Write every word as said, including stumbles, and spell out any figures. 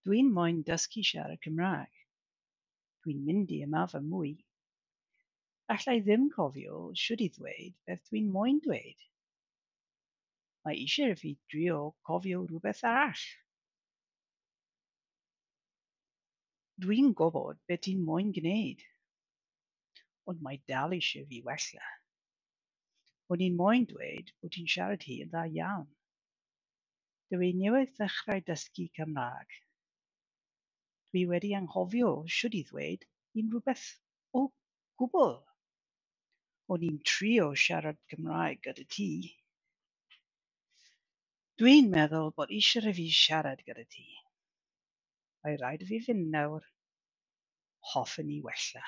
Dwi'n moyn dysgu siarad Cymraeg. Dwi'n mynd i ymarfer mwy. Alla i ddim cofio shwt i ddweud beth dwi'n moyn dweud. Mae eisiau i fi drio cofio rhywbeth arall. Dwi'n gwybod be ti'n moyn gwneud, ond mae dal eisiau fi wella. O'n i'n moyn dweud bo' ti'n siarad hi yn dda iawn. Dw i newydd ddechrau dysgu Cymraeg. Dw i wedi anghofio shwt i ddweud unrhyw beth o gwbl! O'n i'n trio siarad Cymraeg gyda ti. Dwi'n meddwl bod eisiau i fi siarad gyda ti. Mae rhaid i fi fynd nawr. Hoffen i wella.